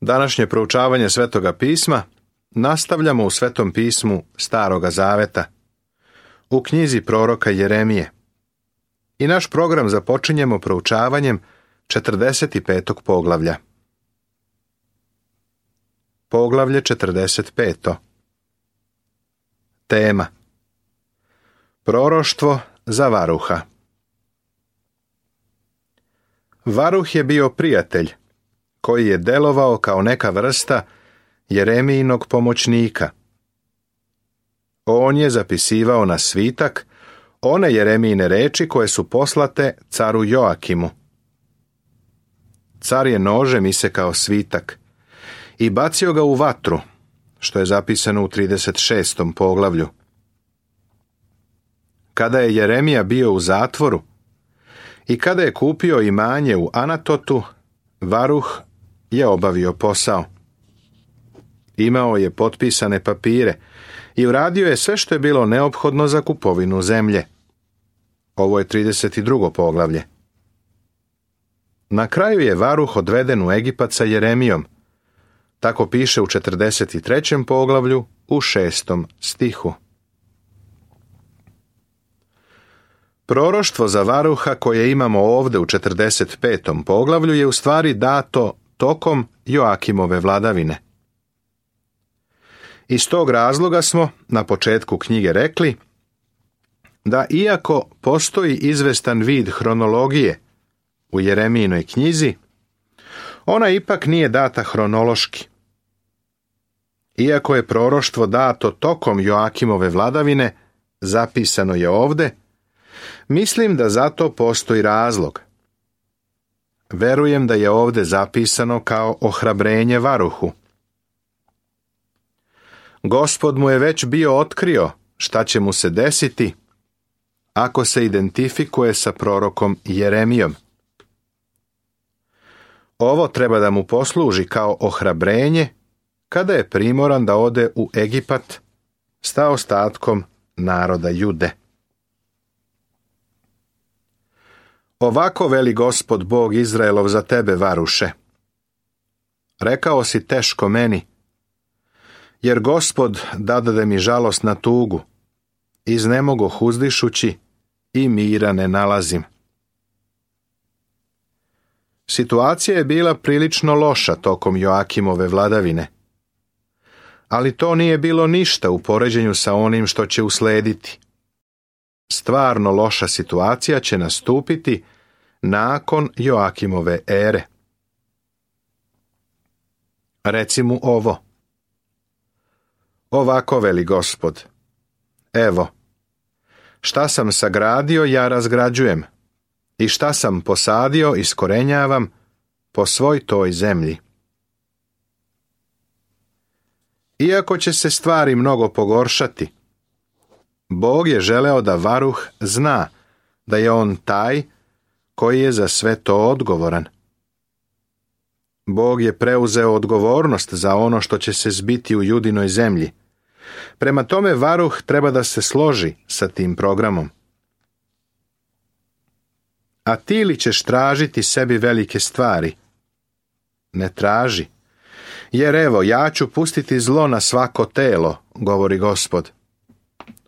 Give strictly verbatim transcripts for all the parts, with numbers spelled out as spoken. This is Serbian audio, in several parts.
Današnje proučavanje Svetoga pisma nastavljamo u Svetom pismu Staroga zaveta, u knjizi proroka Jeremije. I naš program započinjemo proučavanjem četrdeset petog poglavlja. Poglavlje četrdeset pet. Tema: Proroštvo za Varuha. Varuh je bio prijatelj koji je delovao kao neka vrsta Jeremijinog pomoćnika. On je zapisivao na svitak one Jeremijine reči koje su poslate caru Joakimu. Car je nožem isekao svitak i bacio ga u vatru, što je zapisano u trideset šestom poglavlju. Kada je Jeremija bio u zatvoru i kada je kupio imanje u Anatotu, Varuh je obavio posao. Imao je potpisane papire i uradio je sve što je bilo neophodno za kupovinu zemlje. Ovo je trideset drugo poglavlje. Na kraju je Varuh odveden u Egipat sa Jeremijom. Tako piše u četrdeset trećem poglavlju u šestom stihu. Proroštvo za Varuha koje imamo ovdje u četrdeset petom poglavlju je u stvari dato tokom Joakimove vladavine. Iz tog razloga smo na početku knjige rekli da iako postoji izvestan vid hronologije u Jeremijinoj knjizi, ona ipak nije data hronološki. Iako je proroštvo dato tokom Joakimove vladavine, zapisano je ovdje, mislim da za to postoji razlog. Verujem da je ovdje zapisano kao ohrabrenje Varuhu. Gospod mu je već bio otkrio šta će mu se desiti ako se identifikuje sa prorokom Jeremijom. Ovo treba da mu posluži kao ohrabrenje kada je primoran da ode u Egipat s ostatkom naroda Jude. Ovako veli Gospod Bog Izraelov za tebe, Varuše. Rekao si teško meni, jer Gospod dadade mi žalost na tugu, iznemogoh uzdišući i mira ne nalazim. Situacija je bila prilično loša tokom Joakimove vladavine, ali to nije bilo ništa u poređenju sa onim što će uslediti. Stvarno loša situacija će nastupiti nakon Joakimove ere. Reci mu ovo. Ovako veli Gospod. Evo, šta sam sagradio ja razgrađujem i šta sam posadio iskorenjavam po svoj toj zemlji. Iako će se stvari mnogo pogoršati, Bog je želeo da Varuh zna da je on taj koji je za sve to odgovoran. Bog je preuzeo odgovornost za ono što će se zbiti u Judinoj zemlji. Prema tome Varuh treba da se složi sa tim programom. A ti li ćeš tražiti sebi velike stvari? Ne traži, jer evo ja ću pustiti zlo na svako telo, govori Gospod.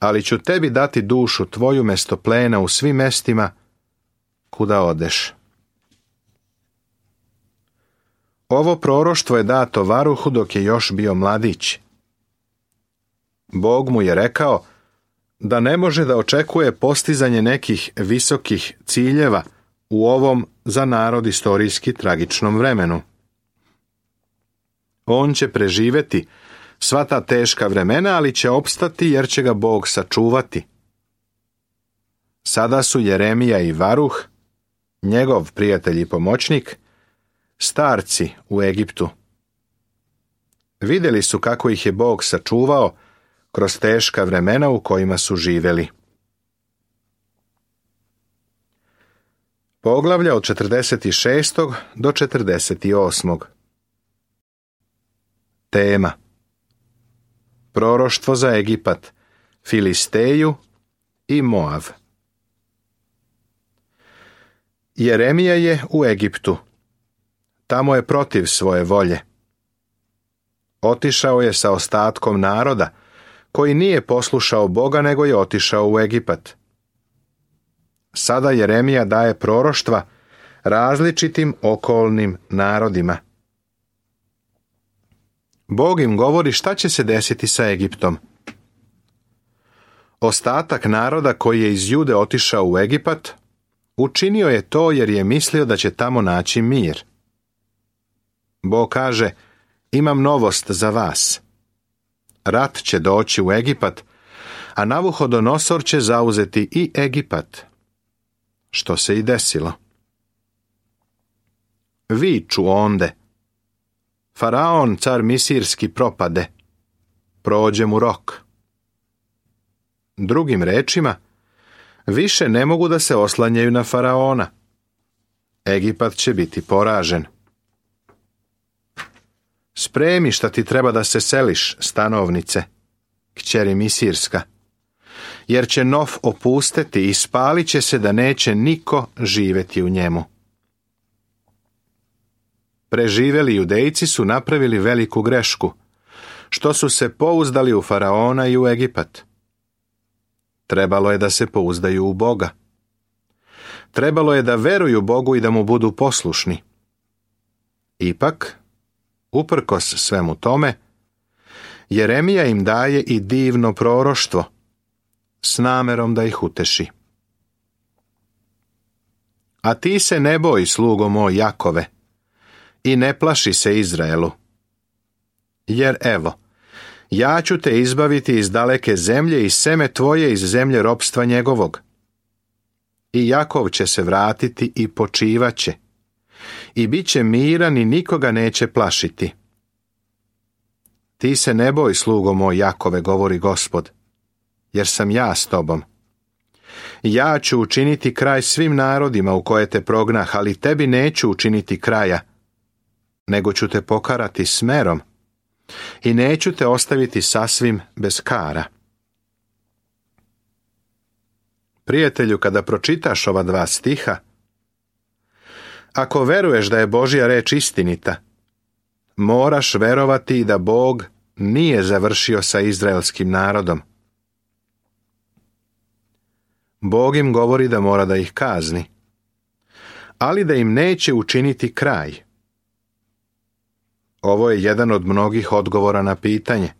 Ali ću tebi dati dušu tvoju mesto plena u svim mestima kuda odeš. Ovo proroštvo je dato Varuhu dok je još bio mladić. Bog mu je rekao da ne može da očekuje postizanje nekih visokih ciljeva u ovom za narod istorijski tragičnom vremenu. On će preživeti sva ta teška vremena, ali će opstati jer će ga Bog sačuvati. Sada su Jeremija i Varuh, njegov prijatelj i pomoćnik, starci u Egiptu. Vidjeli su kako ih je Bog sačuvao kroz teška vremena u kojima su živjeli. Poglavlja od četrdeset šestog do četrdeset osmog. Tema: Proroštvo za Egipat, Filisteju i Moav. Jeremija je u Egiptu. Tamo je protiv svoje volje. Otišao je sa ostatkom naroda, koji nije poslušao Boga, nego je otišao u Egipat. Sada Jeremija daje proroštva različitim okolnim narodima. Bog im govori šta će se desiti sa Egiptom. Ostatak naroda koji je iz Jude otišao u Egipat, učinio je to jer je mislio da će tamo naći mir. Bog kaže, imam novost za vas. Rat će doći u Egipat, a Navuhodonosor će zauzeti i Egipat. Što se i desilo. Viču onde. Faraon, car misirski, propade. Prođe mu rok. Drugim rečima, više ne mogu da se oslanjaju na Faraona. Egipat će biti poražen. Spremi šta ti treba da se seliš, stanovnice, kćeri misirska, jer će Nof opusteti i spalit će se da neće niko živjeti u njemu. Preživeli Judejci su napravili veliku grešku, što su se pouzdali u Faraona i u Egipat. Trebalo je da se pouzdaju u Boga. Trebalo je da veruju Bogu i da mu budu poslušni. Ipak, uprkos svemu tome, Jeremija im daje i divno proroštvo, s namerom da ih uteši. A ti se ne boj, slugo moj Jakove, i ne plaši se Izraelu. Jer evo, ja ću te izbaviti iz daleke zemlje i seme tvoje iz zemlje ropstva njegovog. I Jakov će se vratiti i počivaće. I bit će miran i nikoga neće plašiti. Ti se ne boj, slugo moj Jakove, govori Gospod, jer sam ja s tobom. Ja ću učiniti kraj svim narodima u koje te prognah, ali tebi neću učiniti kraja, nego ću te pokarati smerom i neću te ostaviti sasvim bez kara. Prijatelju, kada pročitaš ova dva stiha, ako veruješ da je Božja reč istinita, moraš verovati da Bog nije završio sa izraelskim narodom. Bog im govori da mora da ih kazni, ali da im neće učiniti kraj. Ovo je jedan od mnogih odgovora na pitanje,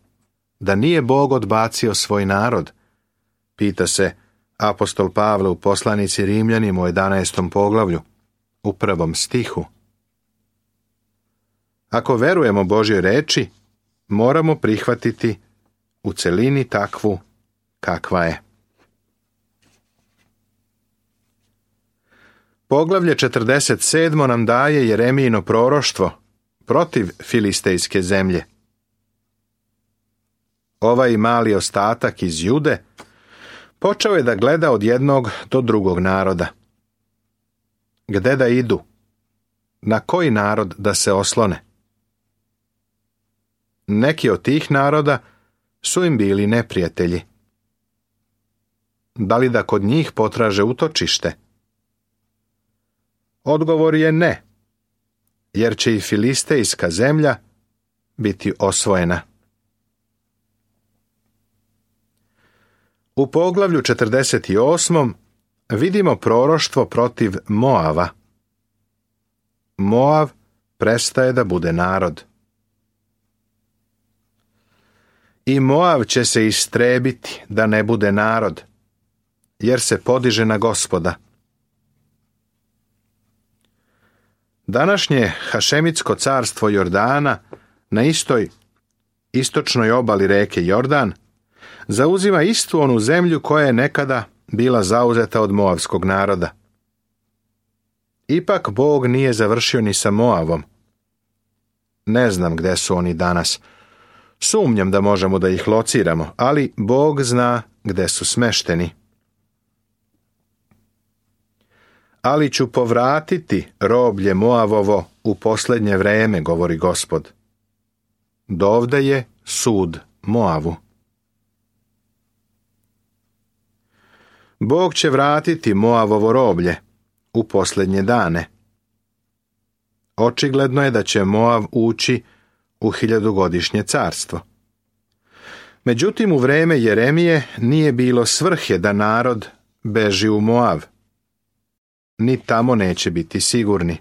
da nije Bog odbacio svoj narod, pita se apostol Pavle u poslanici Rimljanima u jedanaestom poglavlju, u prvom stihu. Ako verujemo Božjoj reči, moramo prihvatiti u celini takvu kakva je. Poglavlje četrdeset sedam nam daje Jeremijino proroštvo protiv filistejske zemlje. Ovaj mali ostatak iz Jude počeo je da gleda od jednog do drugog naroda. Gde da idu? Na koji narod da se oslone? Neki od tih naroda su im bili neprijatelji. Da li da kod njih potraže utočište? Odgovor je ne, jer će i filistejska zemlja biti osvojena. U poglavlju četrdeset osam vidimo proroštvo protiv Moava. Moav prestaje da bude narod. I Moav će se istrebiti da ne bude narod, jer se podiže na Gospoda. Današnje Hašemitsko carstvo Jordana na istoj istočnoj obali reke Jordan zauzima istu onu zemlju koja je nekada bila zauzeta od moavskog naroda. Ipak Bog nije završio ni sa Moavom. Ne znam gde su oni danas. Sumnjam da možemo da ih lociramo, ali Bog zna gde su smešteni. Ali ću povratiti roblje Moavovo u posljednje vreme, govori Gospod. Dovde je sud Moavu. Bog će vratiti Moavovo roblje u posljednje dane. Očigledno je da će Moav ući u hiljadugodišnje carstvo. Međutim, u vrijeme Jeremije nije bilo svrhe da narod beži u Moav. Ni tamo neće biti sigurni.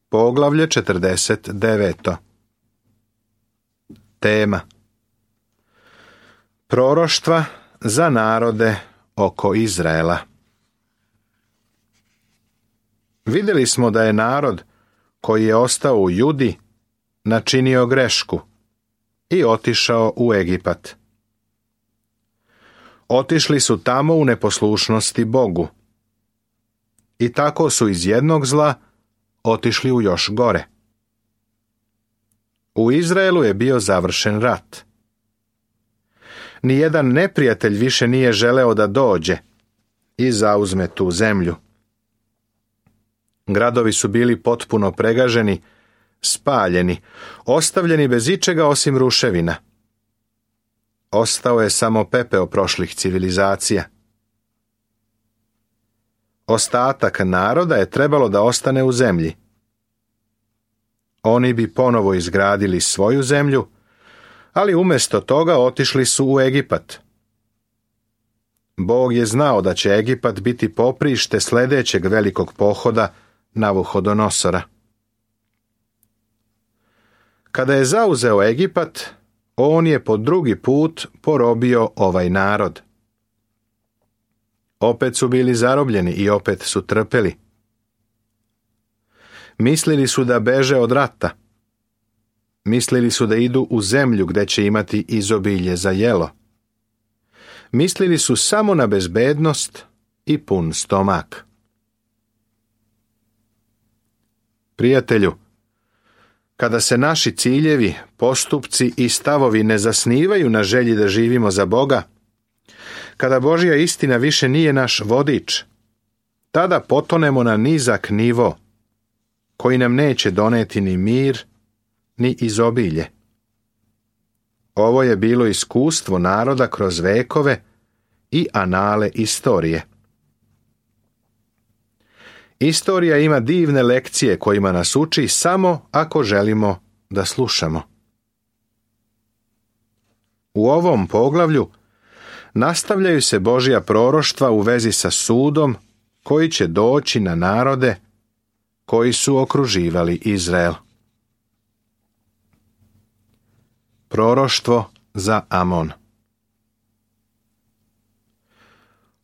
Poglavlje četrdeset devet. Tema: Proroštva za narode oko Izraela. Vidjeli smo da je narod koji je ostao u Judi načinio grešku i otišao u Egipat. Otišli su tamo u neposlušnosti Bogu i tako su iz jednog zla otišli u još gore. U Izraelu je bio završen rat. Nijedan neprijatelj više nije želeo da dođe i zauzme tu zemlju. Gradovi su bili potpuno pregaženi, spaljeni, ostavljeni bez ičega osim ruševina. Ostao je samo pepeo prošlih civilizacija. Ostatak naroda je trebalo da ostane u zemlji. Oni bi ponovo izgradili svoju zemlju, ali umjesto toga otišli su u Egipat. Bog je znao da će Egipat biti poprište sljedećeg velikog pohoda Navuhodonosora. Kada je zauzeo Egipat, on je po drugi put porobio ovaj narod. Opet su bili zarobljeni i opet su trpeli. Mislili su da beže od rata. Mislili su da idu u zemlju gdje će imati izobilje za jelo. Mislili su samo na bezbednost i pun stomak. Prijatelju, kada se naši ciljevi, postupci i stavovi ne zasnivaju na želji da živimo za Boga, kada Božja istina više nije naš vodič, tada potonemo na nizak nivo, koji nam neće doneti ni mir, ni izobilje. Ovo je bilo iskustvo naroda kroz vekove i anale istorije. Istorija ima divne lekcije kojima nas uči samo ako želimo da slušamo. U ovom poglavlju nastavljaju se Božja proroštva u vezi sa sudom koji će doći na narode koji su okruživali Izrael. Proroštvo za Amon.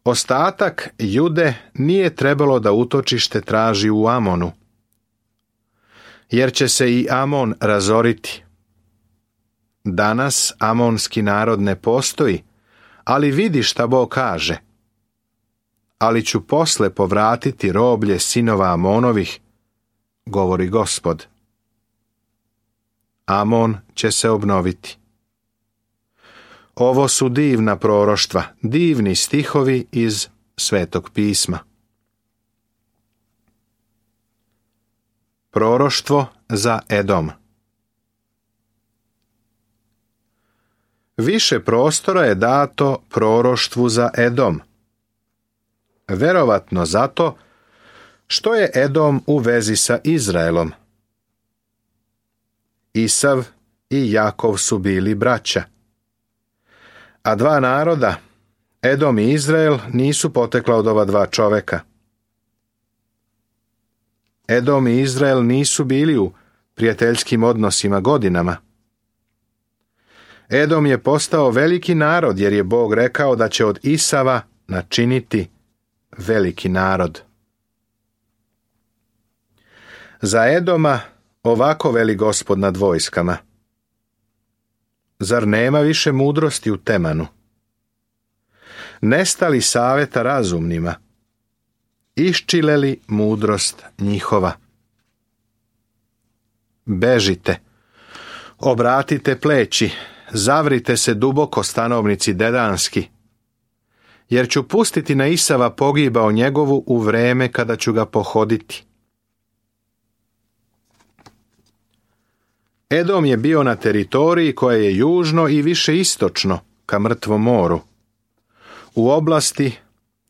Ostatak Jude nije trebalo da utočište traži u Amonu, jer će se i Amon razoriti. Danas amonski narod ne postoji, ali vidi šta Bog kaže. Ali ću posle povratiti roblje sinova Amonovih, govori Gospod. Amon će se obnoviti. Ovo su divna proroštva, divni stihovi iz Svetog pisma. Proroštvo za Edom. Više prostora je dato proroštvu za Edom. Verovatno zato što je Edom u vezi sa Izraelom. Isav i Jakov su bili braća. A dva naroda, Edom i Izrael, nisu potekla od ova dva čoveka. Edom i Izrael nisu bili u prijateljskim odnosima godinama. Edom je postao veliki narod jer je Bog rekao da će od Isava načiniti veliki narod. Za Edoma ovako veli Gospod nad vojskama. Zar nema više mudrosti u Temanu? Nestali savjeta razumnima? Iščile li mudrost njihova? Bežite, obratite pleći, zavrite se duboko stanovnici dedanski, jer ću pustiti na Isava pogibao njegovu u vreme kada ću ga pohoditi. Edom je bio na teritoriji koja je južno i više istočno ka Mrtvom moru, u oblasti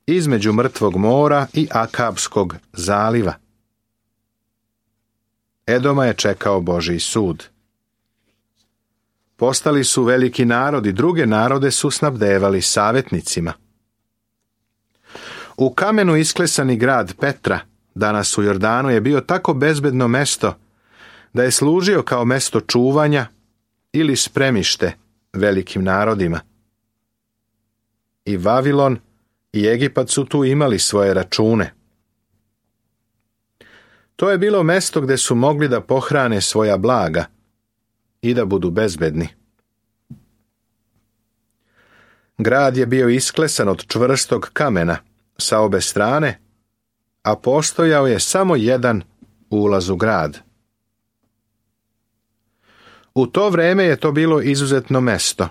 između Mrtvog mora i Akabskog zaliva. Edoma je čekao Božji sud. Postali su veliki narod i druge narode su snabdevali savjetnicima. U kamenu isklesani grad Petra, danas u Jordanu, je bio tako bezbedno mesto da je služio kao mesto čuvanja ili spremište velikim narodima. I Vavilon i Egipat su tu imali svoje račune. To je bilo mesto gdje su mogli da pohrane svoja blaga i da budu bezbedni. Grad je bio isklesan od čvrstog kamena sa obe strane, a postojao je samo jedan ulaz u grad. U to vrijeme je to bilo izuzetno mesto,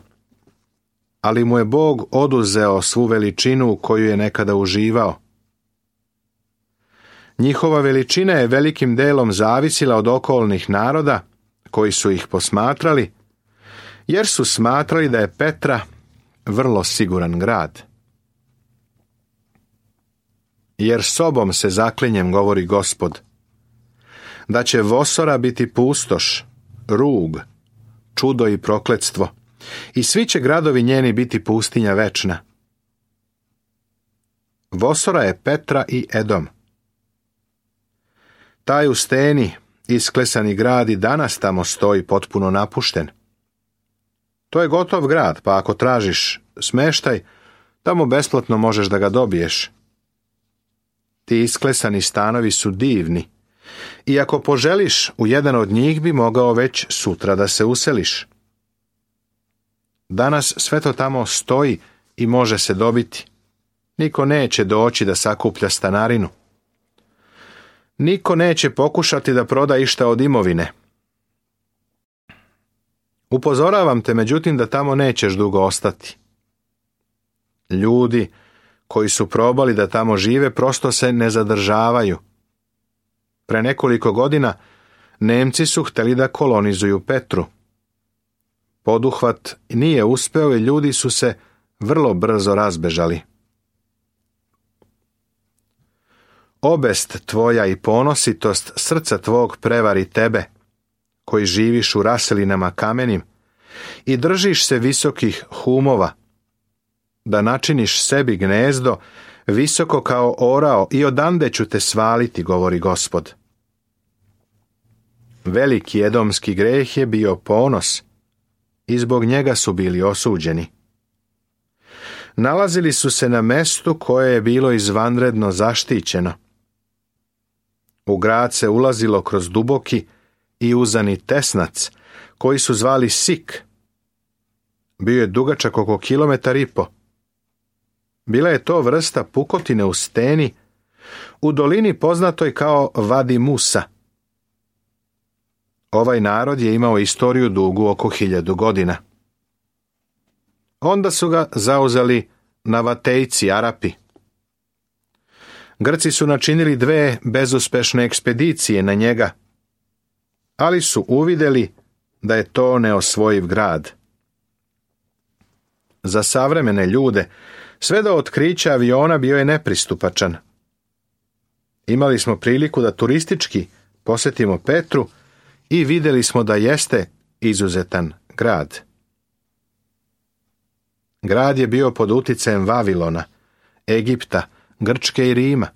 ali mu je Bog oduzeo svu veličinu koju je nekada uživao. Njihova veličina je velikim delom zavisila od okolnih naroda koji su ih posmatrali, jer su smatrali da je Petra vrlo siguran grad. Jer sobom se zaklinjem, govori Gospod, da će Vosora biti pustoš, rug, čudo i prokletstvo, i svi će gradovi njeni biti pustinja večna. Vosora je Petra i Edom. Taj u steni isklesani grad i danas tamo stoji potpuno napušten. To je gotov grad, pa ako tražiš smeštaj, tamo besplatno možeš da ga dobiješ. Ti isklesani stanovi su divni, i ako poželiš, u jedan od njih bi mogao već sutra da se useliš. Danas sve to tamo stoji i može se dobiti. Niko neće doći da sakuplja stanarinu. Niko neće pokušati da proda išta od imovine. Upozoravam te, međutim, da tamo nećeš dugo ostati. Ljudi koji su probali da tamo žive prosto se ne zadržavaju. Pre nekoliko godina Nemci su htjeli da kolonizuju Petru. Poduhvat nije uspeo i ljudi su se vrlo brzo razbežali. Obest tvoja i ponositost srca tvog prevari tebe, koji živiš u raselinama kamenim i držiš se visokih humova, da načiniš sebi gnezdo visoko kao orao i odande ću te svaliti, govori Gospod. Veliki edomski greh je bio ponos i zbog njega su bili osuđeni. Nalazili su se na mestu koje je bilo izvanredno zaštićeno. U grad se ulazilo kroz duboki i uzani tesnac, koji su zvali Sik. Bio je dugačak oko kilometar i po. Bila je to vrsta pukotine u steni, u dolini poznatoj kao Vadi Musa. Ovaj narod je imao istoriju dugu oko hiljadu godina. Onda su ga zauzeli Navatejci, Arapi. Grci su načinili dve bezuspešne ekspedicije na njega, ali su uvidjeli da je to neosvojiv grad. Za savremene ljude sve do otkrića aviona bio je nepristupačan. Imali smo priliku da turistički posjetimo Petru i vidjeli smo da jeste izuzetan grad. Grad je bio pod uticajem Vavilona, Egipta, Grčke i Rima.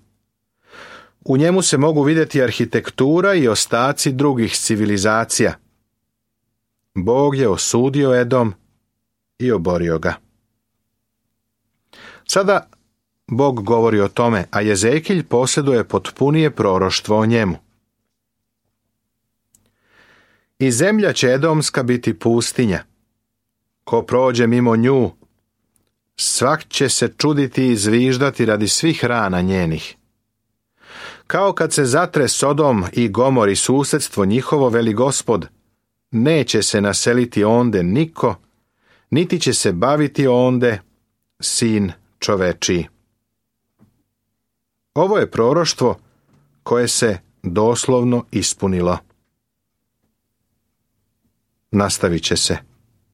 U njemu se mogu vidjeti arhitektura i ostaci drugih civilizacija. Bog je osudio Edom i oborio ga. Sada Bog govori o tome, a Jezekilj posjeduje potpunije proroštvo o njemu. I zemlja će edomska biti pustinja. Ko prođe mimo nju, svak će se čuditi i zviždati radi svih rana njenih. Kao kad se zatre Sodom i Gomor i susjedstvo njihovo, veli Gospod, neće se naseliti onde niko, niti će se baviti onde sin čovečiji. Ovo je proroštvo koje se doslovno ispunilo. Nastavit će se.